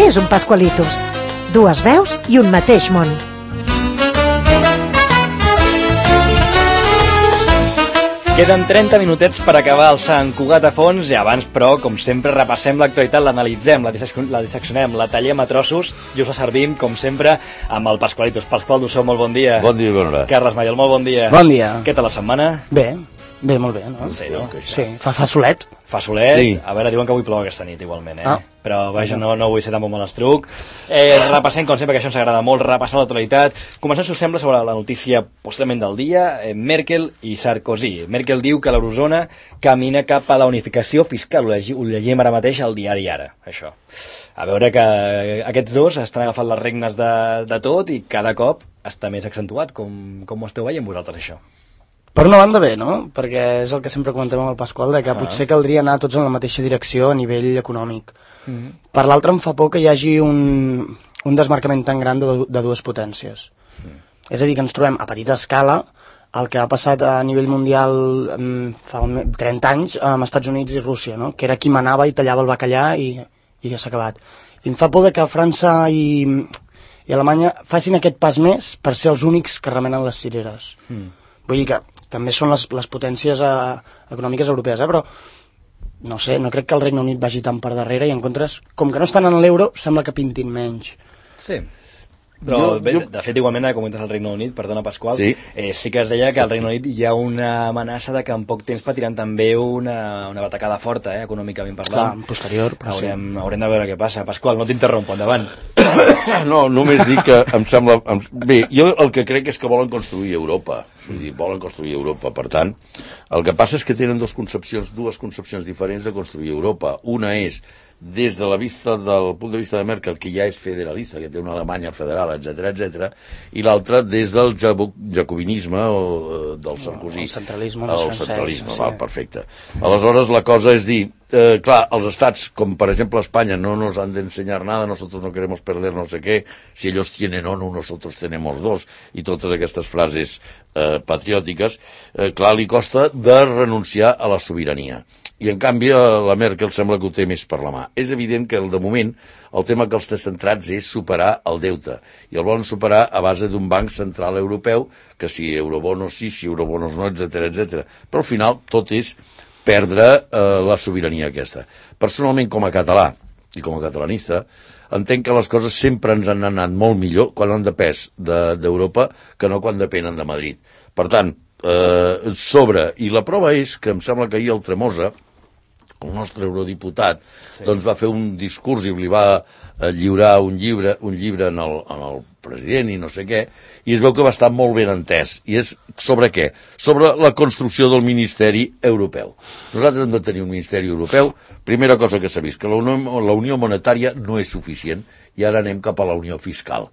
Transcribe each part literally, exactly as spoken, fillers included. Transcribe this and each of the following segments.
és un Pascualitos? Dues veus i un mateix món. Queden trenta minutets per acabar el Sant Cugat a fons i abans, però, com sempre, repassem l'actualitat, l'analitzem, la, la disseccionem, la tallem a trossos i us la servim, com sempre, amb el Pascualitos. Pasqual Dussó, molt bon dia. Bon dia i bona hora. Carles Maiol, molt bon dia. Bon dia. Què tal la setmana? Bé, bé, molt bé, no? Sí, no? Sí, fa, fa solet. Fa solet? Sí. A veure, diuen que avui plou aquesta nit, igualment, eh? Ah. Però, vaja, no, no vull ser tampoc molt estruc. Eh, repassem, com sempre, que això ens agrada molt, repassar l'actualitat. Comencem, si us sembla, sobre la notícia possiblement del dia, eh, Merkel i Sarkozy. Merkel diu que l'eurozona camina cap a la unificació fiscal. Ho, llegim, ho llegim ara mateix al diari Ara, això. A veure que aquests dos estan agafant les regnes de, de tot i cada cop està més accentuat. Com, com ho esteu veient vosaltres, això? Per una banda bé, no? Perquè és el que sempre comentem amb el Pasqual, de que Ah. potser caldria anar tots en la mateixa direcció a nivell econòmic. Mm-hmm. Per l'altra em fa por que hi hagi un, un desmarcament tan gran de, de dues potències. Mm. És a dir, que ens trobem a petita escala el que ha passat a nivell mundial um, fa trenta anys amb Estats Units i Rússia, no? Que era qui manava i tallava el bacallà i, i ja s'ha acabat. I em fa por de que França i, i Alemanya facin aquest pas més per ser els únics que remenen les cireres. Mm. Vull dir que també són les, les potències eh, econòmiques europees, eh? Però no sé, no crec que el Regne Unit vagi tan per darrere i en contres, com que no estan en l'euro, sembla que pintin menys. Sí. Però, Jo- bé, jo- de fet, igualment, ara comentes el Regne Unit, perdona, Pasqual, Sí. eh, sí que es deia que al Regne Unit hi ha una amenaça de que en poc temps patiran també una, una batacada forta, eh, econòmicament Clar, parlant. en posterior, però sí. Haurem, haurem de veure què passa. Pasqual, no t'interrompo, endavant. No, només dic que em sembla... Em, bé, jo el que crec és que volen construir Europa. Vull dir, volen construir Europa. Per tant, el que passa és que tenen dos concepcions, dues concepcions diferents de construir Europa. Una és des de la vista del punt de vista de Merkel, que ja és federalista, que té una Alemanya federal, etcètera, etcètera, i l'altra des del jaco- jacobinisme o eh, del Sarkozy. El centralisme més El francès, centralisme, sí. val, perfecte. Aleshores, la cosa és dir, eh, clar, els estats, com per exemple Espanya, no nos han de enseñar nada, nosotros no queremos perder no sé qué, si ellos tienen ONU, nosotros tenemos dos, i totes aquestes frases eh, patriòtiques, eh, clar, li costa de renunciar a la sobirania. I en canvi la Merkel sembla que ho té més per la mà. És evident que de moment el tema que els té centrats és superar el deute, i el volen superar a base d'un banc central europeu, que si eurobonos sí, si eurobonos no, etcètera, etcètera. Però al final tot és perdre eh, la sobirania aquesta. Personalment, com a català i com a catalanista, entenc que les coses sempre ens han anat molt millor quan han depès d'Europa de, que no quan depenen de Madrid. Per tant, eh, sobre, i la prova és que em sembla que ahir el Tremosa, el nostre eurodiputat, sí. doncs va fer un discurs i li va eh, lliurar un llibre, un llibre en, el, en el president i no sé què, i es veu que va estar molt ben entès. I és sobre què? Sobre la construcció del Ministeri Europeu. Nosaltres hem de tenir un Ministeri Europeu. Primera cosa que s'ha vist, que la Unió, la Unió Monetària no és suficient, i ara anem cap a la Unió Fiscal.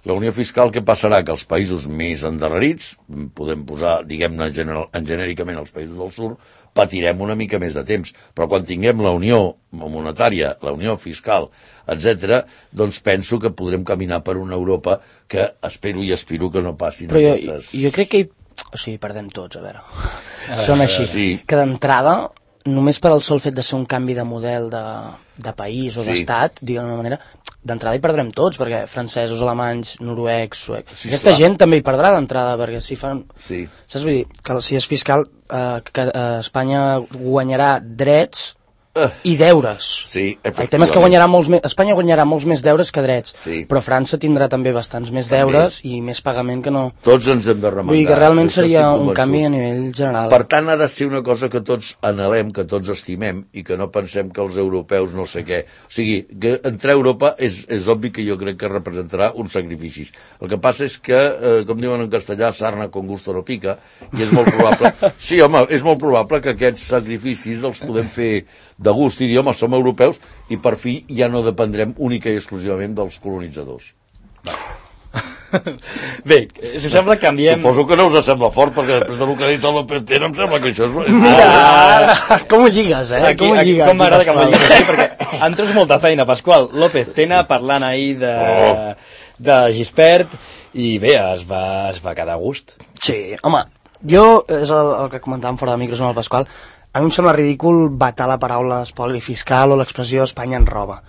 La unió fiscal, què passarà? Que els països més endarrerits, podem posar, diguem-ne general, en genèricament els països del sud, patirem una mica més de temps. Però quan tinguem la unió monetària, la unió fiscal, etcètera, doncs penso que podrem caminar per una Europa que espero i aspiro que no passin Però jo, aquestes... jo crec que hi... O sigui, perdem tots, a veure. Són així. Sí. Que d'entrada, només per al sol fet de ser un canvi de model de, de país o Sí. d'estat, diguem d'una manera, d'entrada hi perdrem tots, perquè francesos, alemanys, noruecs, suecs... Sí, Aquesta clar. gent també hi perdrà d'entrada, perquè si fan... Sí. Saps? Vull dir, que si és fiscal, eh, que eh, Espanya guanyarà drets i deures. Sí, El tema és que guanyarà molts més, Espanya guanyarà molts més deures que drets, Sí. però França tindrà també bastants més També. deures i més pagament que no... Tots ens hem de remengar. Vull dir que realment D'això seria estic un convençut. canvi a nivell general. Per tant, ha de ser una cosa que tots anhelem, que tots estimem, i que no pensem que els europeus no sé què... O sigui, que entrar a Europa és, és obvi que jo crec que representarà uns sacrificis. El que passa és que, eh, com diuen en castellà, sarna con gusto no pica, i és molt probable... Sí, home, és molt probable que aquests sacrificis els podem fer de gust, i dir, home, som europeus, i per fi ja no dependrem única i exclusivament dels colonitzadors. Bé, si us sembla, canviem... Suposo que no us sembla fort, perquè després del que ha dit el López Tena em sembla que això és... Ah, com ho lligues, eh? Aquí, com ho aquí, lligues? com m'agrada que m'ho diguis així, perquè em treus molta feina, Pasqual. López Tena parlant ahir de, Oh. de Gispert, i bé, es va, es va quedar a gust. Sí, home, jo, és el, el que comentàvem fora de micros amb el Pasqual, a mi em sembla ridícul vetar la paraula espoli fiscal o l'expressió Espanya en roba.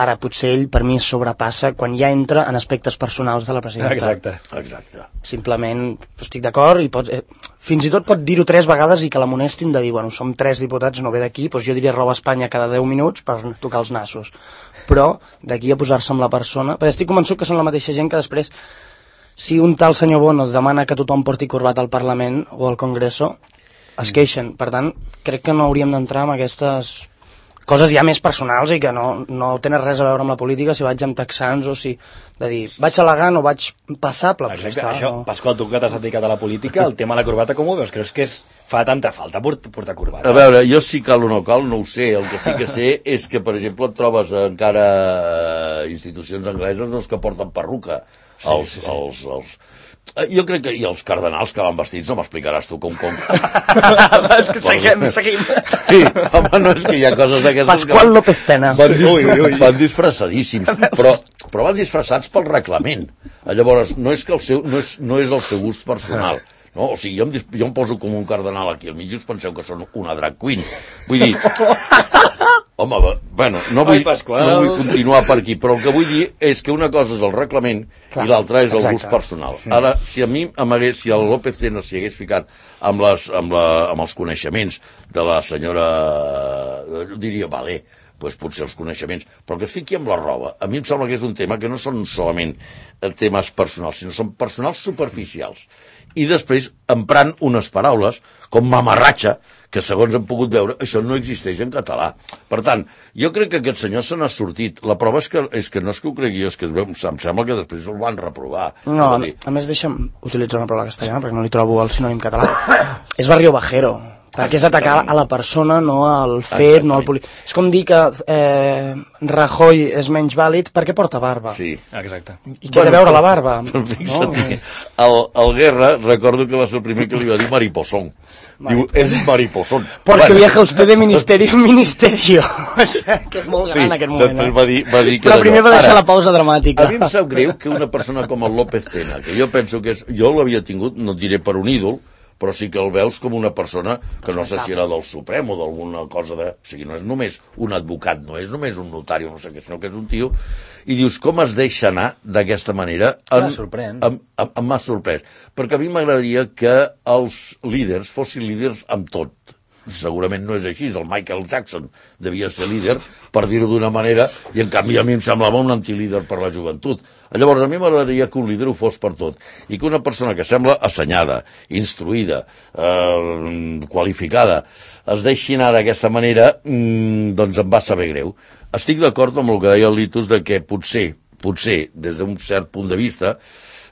Ara, potser ell, per mi, es sobrepassa quan ja entra en aspectes personals de la presidenta. Exacte. Exacte. Simplement estic d'acord i pot, eh, fins i tot pot dir-ho tres vegades i que l'amonestin de dir, bueno, som tres diputats, no ve d'aquí, doncs jo diria roba Espanya cada deu minuts per tocar els nassos. Però d'aquí a posar-se amb la persona, perquè estic convençut que són la mateixa gent que després, si un tal senyor Bono demana que tothom porti corbat al Parlament o al Congreso, es queixen. Per tant, crec que no hauríem d'entrar en aquestes coses ja més personals i que no, no tenen res a veure amb la política, si vaig amb texans o si... de dir, vaig elegant o vaig passable, doncs ja està. Això, no? Pasqual, tu que t'has dedicat a la política, el tema de la corbata com ho veus? Creus que és, fa tanta falta portar corbata? A veure, jo si cal o no cal, no ho sé. El que sí que sé és que, per exemple, et trobes encara institucions angleses doncs, que porten perruca. Sí, els, sí, sí. els, els... Jo crec que... I els cardenals que van vestits, no m'explicaràs tu com... com... és que seguim, seguim. Sí, home, no, és que hi ha coses d'aquestes... Pasqual que... López Tena. Van, ui, ui, ui. Van disfressadíssims, però, però van disfressats pel reglament. Llavors, no és, que el seu, no és, no és el seu gust personal. No? O sigui, jo em, jo em poso com un cardenal aquí al mig i us penseu que són una drag queen. Vull dir... Home, bueno, no vull, Ai, no vull continuar per aquí, però el que vull dir és que una cosa és el reglament Clar, i l'altra és el exacte. Gust personal. Ara, si a mi, si el López Tena s'hi hagués ficat amb, les, amb, la, amb els coneixements de la senyora, diria, vale, doncs potser els coneixements, però que es fiqui amb la roba. A mi em sembla que és un tema que no són solament temes personals, sinó són personals superficials. I després emprant unes paraules com mamarratxa, que segons hem pogut veure, això no existeix en català. Per tant, jo crec que aquest senyor se n'ha sortit. La prova és que, és que no és que ho cregui, és que es veu, em sembla que després el van reprovar. No, a, a més deixa'm utilitzar una paraula castellana perquè no li trobo el sinònim català. És barrio bajero, perquè és atacar a la persona, no al fet, no al polític. És com dir que eh, Rajoy és menys vàlid perquè porta barba. Sí. Exacte. I què bueno, té a veure la barba? Però fixa't, no? el, el Guerra, recordo que va ser el primer que li va dir mariposón. Diu, és mariposón. Porque bueno. Viaja usted de ministerio en ministerio. O sea, que és molt gran sí, aquest moment. Després va dir, va dir que però primer va deixar Ara, la pausa dramàtica. A mi em sap greu que una persona com el López Tena, que jo penso que és... Jo l'havia tingut, no diré per un ídol, però sí que el veus com una persona que no sé si era del Suprem o d'alguna cosa de... O sigui, no és només un advocat, no és només un notari, no sé què, sinó que és un tio... I dius, com es deixa anar d'aquesta manera? Em sorprèn. Em, em, em m'ha sorprès. Perquè a mi m'agradaria que els líders fossin líders amb tot. Segurament no és així, el Michael Jackson devia ser líder, per dir-ho d'una manera, i en canvi a mi em semblava un antilíder per la joventut. Llavors a mi m'agradaria que un líder ho fos per tot, i que una persona que sembla assenyada, instruïda, eh, qualificada, es deixi anar d'aquesta manera, mmm, doncs em va saber greu. Estic d'acord amb el que deia el Litus de que potser, potser, des d'un cert punt de vista,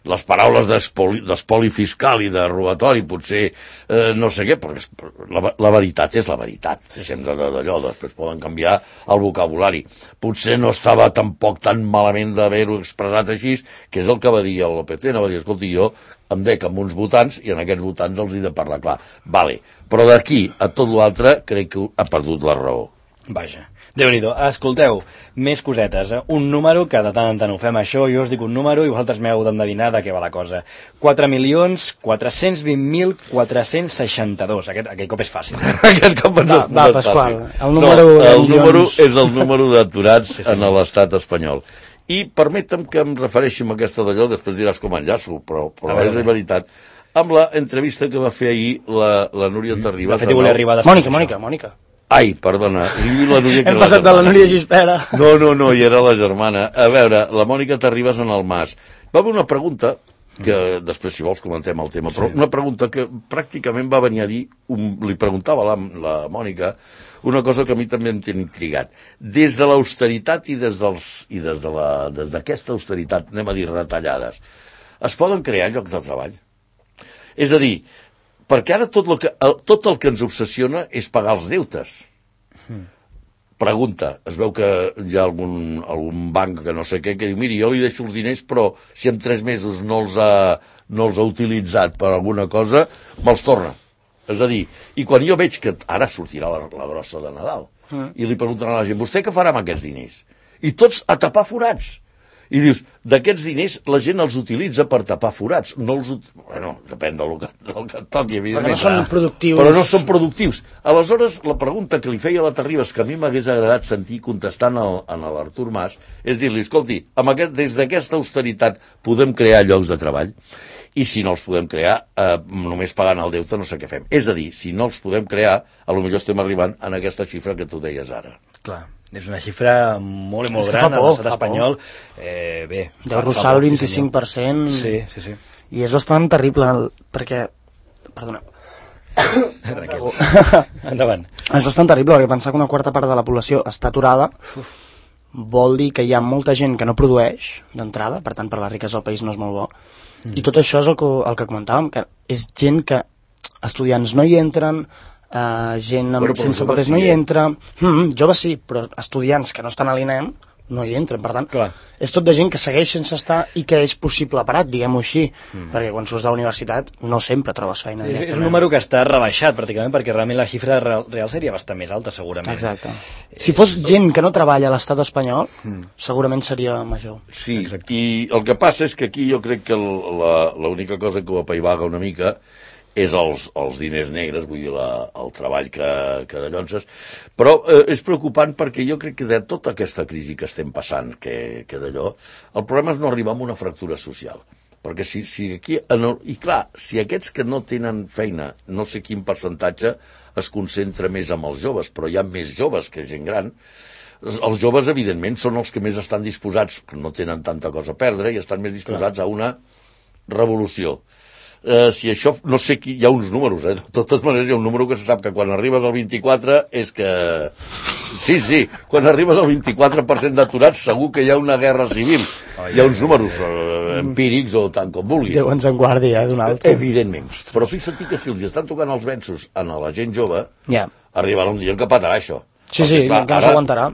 les paraules d'espoli fiscal i de robatori potser eh, no sé què, perquè la, la veritat és la veritat, sempre d'allò, després poden canviar el vocabulari. Potser no estava tampoc tan malament d'haver-ho expressat així, que és el que va dir el López Tena, va dir, escolti, jo em dec amb uns votants i en aquests votants els he de parlar clar. Vale, però d'aquí a tot l'altre crec que ha perdut la raó. Vaja. Déu-n'hi-do. Escolteu, més cosetes. Eh? Un número, que de tant en tant ho fem això, jo us dic un número i vosaltres m'heu d'endevinar de què va la cosa. quatre milions quatre-cents vint mil quatre-cents seixanta-dos. Aquest, aquest cop és fàcil. Eh? Aquest cop va, va, Pasqual, el número, no, el número és el número d'aturats sí, sí. en l'estat espanyol. I permetem que em refereixi a aquesta d'allò, després diràs com enllaço, però, però és la veritat, amb la entrevista que va fer ahir la, la Núria Terribas. De fet, volia arribar després. Mònica, Mònica, Mònica. Ai, perdona. La Núria, Hem passat de la Núria Gispera. No, no, no, i era la germana. A veure, la Mònica Terribas en el Mas. Va haver una pregunta, que després, si vols, comentem el tema, però una pregunta que pràcticament va venir a dir, un, li preguntava la, la Mònica, una cosa que a mi també em té intrigat. Des de l'austeritat i des dels i des de la, des d'aquesta austeritat, anem a dir retallades, es poden crear llocs de treball? És a dir, perquè ara tot, lo que, tot el que ens obsessiona és pagar els deutes. Mm. Pregunta, es veu que hi ha algun, algun banc que no sé què que diu, miri, jo li deixo els diners, però si en tres mesos no els ha, no els ha utilitzat per alguna cosa, me'ls torna. És a dir, i quan jo veig que ara sortirà la, la grossa de Nadal, mm. i li pregunten a la gent, vostè què farà amb aquests diners? I tots a tapar forats. I dius, d'aquests diners la gent els utilitza per tapar forats, no els... Bueno, depèn del que, del que et toqui, evidentment. Però no són productius. Però no són productius. Aleshores, la pregunta que li feia a la Terribas, que a mi m'hagués agradat sentir contestant al, a l'Artur Mas, és dir-li, escolti, amb aquest, des d'aquesta austeritat podem crear llocs de treball? I si no els podem crear, eh, només pagant el deute no sé què fem. És a dir, si no els podem crear, a lo millor estem arribant en aquesta xifra que tu deies ara. Clar. És una xifra molt i molt gran a l'estat espanyol. Eh, bé, deu rossar el vint-i-cinc per cent. Sí, sí, sí. I és bastant terrible, perquè... Perdona. Endavant. És bastant terrible, perquè pensar que una quarta part de la població està aturada vol dir que hi ha molta gent que no produeix d'entrada, per tant, per la riquesa del país no és molt bo. Mm. I tot això és el que, el que comentàvem, que és gent que estudiants no hi entren, Uh, gent amb, bueno, sense papers sí, no hi entra, mm, joves sí, però estudiants que no estan a l'INEM no hi entren, per tant clar. És tot de gent que segueix sense estar i que és possible parat, diguem-ho així, mm. perquè quan surts de la universitat no sempre trobes feina és, és un número que està rebaixat pràcticament, perquè realment la xifra real, real seria bastant més alta segurament. Exacte. Si fos gent que no treballa a l'estat espanyol mm. segurament seria major. Sí, exacte. I el que passa és que aquí jo crec que l'única cosa que ho apaivaga una mica és els, els diners negres, vull dir, la, el treball que, que dallonses, però eh, és preocupant perquè jo crec que de tota aquesta crisi que estem passant, que, que d'allò, el problema és no arribar a una fractura social, perquè si, si aquí, i clar, si aquests que no tenen feina, no sé quin percentatge es concentra més amb els joves, però hi ha més joves que gent gran, els joves, evidentment, són els que més estan disposats, que no tenen tanta cosa a perdre, i estan més disposats clar. A una revolució. Uh, si això, no sé qui, hi ha uns números, eh? De totes maneres hi ha un número que se sap que quan arribes al vint-i-quatre és que... Sí, sí, quan arribes al vint-i-quatre per cent d'aturats segur que hi ha una guerra civil. Hi ha uns números uh, empírics o tant com vulguis. Déu ens en guardi, eh, d'un altre. Evidentment. Però fixa't que si els estan tocant els venços a la gent jove, yeah. arribarà un dia en què patarà això. Sí, sí, clar, que no s'aguantarà.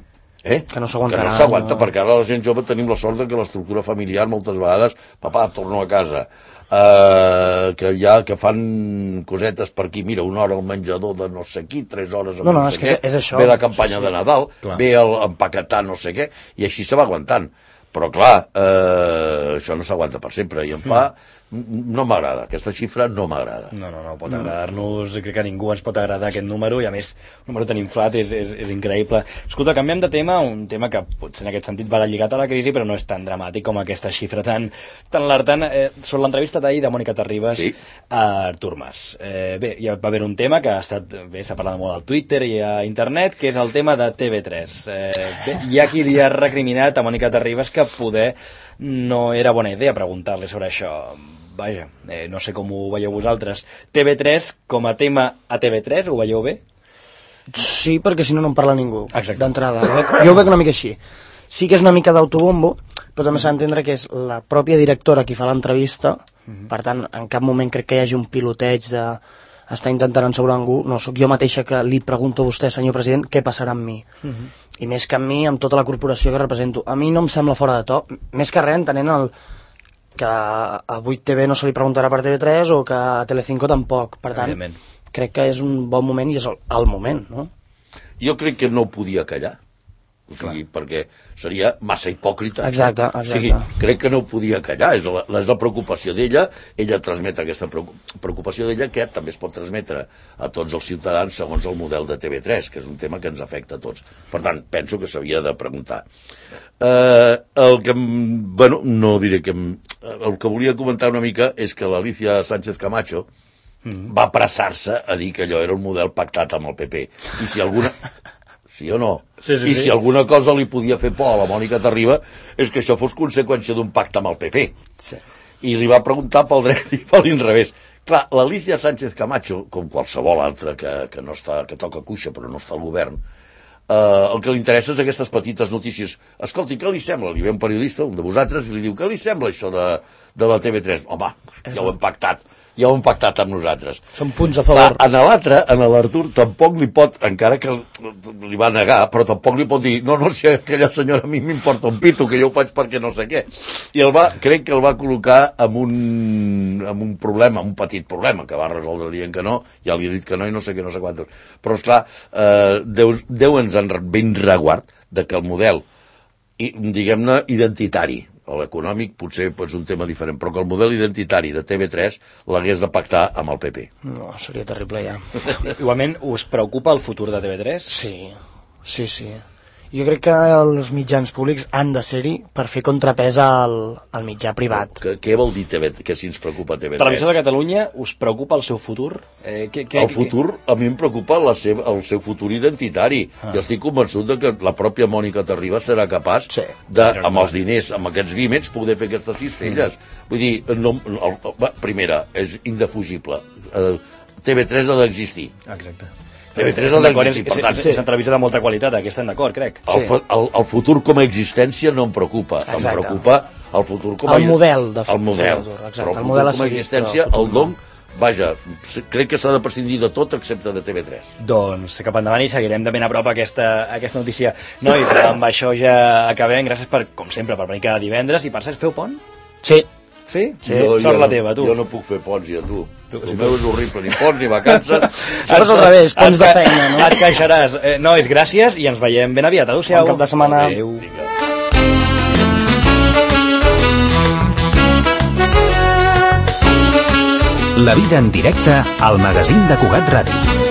Eh? Que no s'aguantarà. Que no s'aguanta, no. Perquè ara la gent jove tenim la sort que l'estructura familiar moltes vegades, papà, torno a casa, uh, que ja que fan cosetes per aquí, mira, una hora al menjador de no sé qui, tres hores amb no, no, no sé sé què, què, és això. Ve la campanya sí, sí. de Nadal, clar. Ve el empaquetar no sé què, i així se va aguantant. Però clar, eh, això no s'aguanta per sempre, i em fa... No m'agrada, aquesta xifra no m'agrada. No, no, no pot agradar-nos, crec que a ningú ens pot agradar aquest número, i a més, un número tan inflat és, és, és increïble. Escolta, canviem de tema, un tema que potser en aquest sentit va lligat a la crisi, però no és tan dramàtic com aquesta xifra tan, tan alertant. Eh, sobre l'entrevista d'ahir de Mònica Terribas sí. a Artur Mas. Eh, bé, ja va haver un tema que ha estat, bé, s'ha parlat molt al Twitter i a internet, que és el tema de T V tres. Eh, bé, hi ha qui li ha recriminat a Mònica Terribas que poder no era bona idea preguntar-li sobre això. Vaja, eh, no sé com ho veieu vosaltres. T V tres, com a tema a T V tres, ho veieu bé? Sí, perquè si no, no en parla ningú, d'entrada. Jo ho veig una mica així. Sí que és una mica d'autobombo, però també s'ha d'entendre que és la pròpia directora qui fa l'entrevista, uh-huh. Per tant, en cap moment crec que hi hagi un piloteig de... està intentant ensaurar algú, no, sóc jo mateixa que li pregunto a vostè, senyor president, què passarà amb mi. Uh-huh. I més que amb mi, amb tota la corporació que represento. A mi no em sembla fora de to, més que res entenent el... que a vuit T V no se li preguntarà per T V tres o que a Telecinco tampoc. Per tant, crec que és un bon moment i és el, el moment, no? Jo crec que no podia callar. O sigui, clar. Perquè seria massa hipòcrita. Exacte, exacte. O sigui, crec que no podia callar, és la, és la preocupació d'ella, ella transmet aquesta preocupació d'ella que també es pot transmetre a tots els ciutadans segons el model de T V tres, que és un tema que ens afecta a tots. Per tant, penso que s'havia de preguntar. Eh, el que, bueno, no diré que... El que volia comentar una mica és que l'Alicia Sánchez Camacho mm. va apressar-se a dir que allò era un model pactat amb el P P. I si alguna... Sí o no? Sí, sí, I sí. si alguna cosa li podia fer por a la Mònica Terribas és que això fos conseqüència d'un pacte amb el P P. Sí. I li va preguntar pel dret i per l'inrevés. Clar, l'Alicia Sánchez Camacho, com qualsevol altra que, que, no està, que toca cuixa però no està al govern, eh, el que li interessa és aquestes petites notícies. Escolti, què li sembla? Li ve un periodista, un de vosaltres, i li diu, què li sembla això de, de la T V tres? Home, ja ho hem pactat. Ja ho hem pactat amb nosaltres. Són punts a favor. Va, en l'altre, en l'Artur, tampoc li pot, encara que li va negar, però tampoc li pot dir, no, no, si aquella senyora a mi m'importa un pito, que jo ho faig perquè no sé què. I el va, crec que el va col·locar amb un, amb un problema, un petit problema, que va resoldre dient que no, ja li he dit que no i no sé què, no sé quantos. Però, esclar, eh, Déu, Déu ens en ben reguard de que el model, i, diguem-ne, identitari, l'econòmic potser és un tema diferent, però que el model identitari de T V tres l'hagués de pactar amb el P P. No, seria terrible ja. Igualment, us preocupa el futur de T V tres? Sí, sí, sí. Jo crec que els mitjans públics han de ser-hi per fer contrapès al, al mitjà privat. Que, què vol dir T V, que si ens preocupa T V tres? Televisió de Catalunya, us preocupa el seu futur? Eh, que, que, el futur, a mi em preocupa la seva, el seu futur identitari. Ah. Jo estic convençut de que la pròpia Mònica Terribas serà capaç, sí, de, amb els diners, amb aquests vímets, poder fer aquestes cistelles. Mm. Vull dir, no, el, el, primera, és indefugible. Uh, T V tres ha d'existir. Exacte. T V tres ha d'existir, per tant... És una televisió de molta qualitat, aquí estem d'acord, crec. El, sí. el, el futur com a existència no em preocupa. Exacte. Em preocupa el futur com a... El model, de el model. Exacte. Però el, el futur model com a existència, el don, vaja, crec que s'ha de prescindir de tot excepte de T V tres. Doncs cap endavant i seguirem de ben a prop aquesta, aquesta notícia. Nois, amb això ja acabem. Gràcies per, com sempre, per venir cada divendres. I per cert, feu pont? Sí. Sí? Sí, jo, sort jo la no, teva, tu. Jo no puc fer ponts, ja, tu. tu el meu és horrible, ni ponts ni vacances. Això és al revés, ponts de feina, no? Et queixaràs. Eh, nois, gràcies i ens veiem ben aviat. Adéu-siau. Bon cap de setmana. Adéu. La vida en directe al magazín de Cugat Ràdio.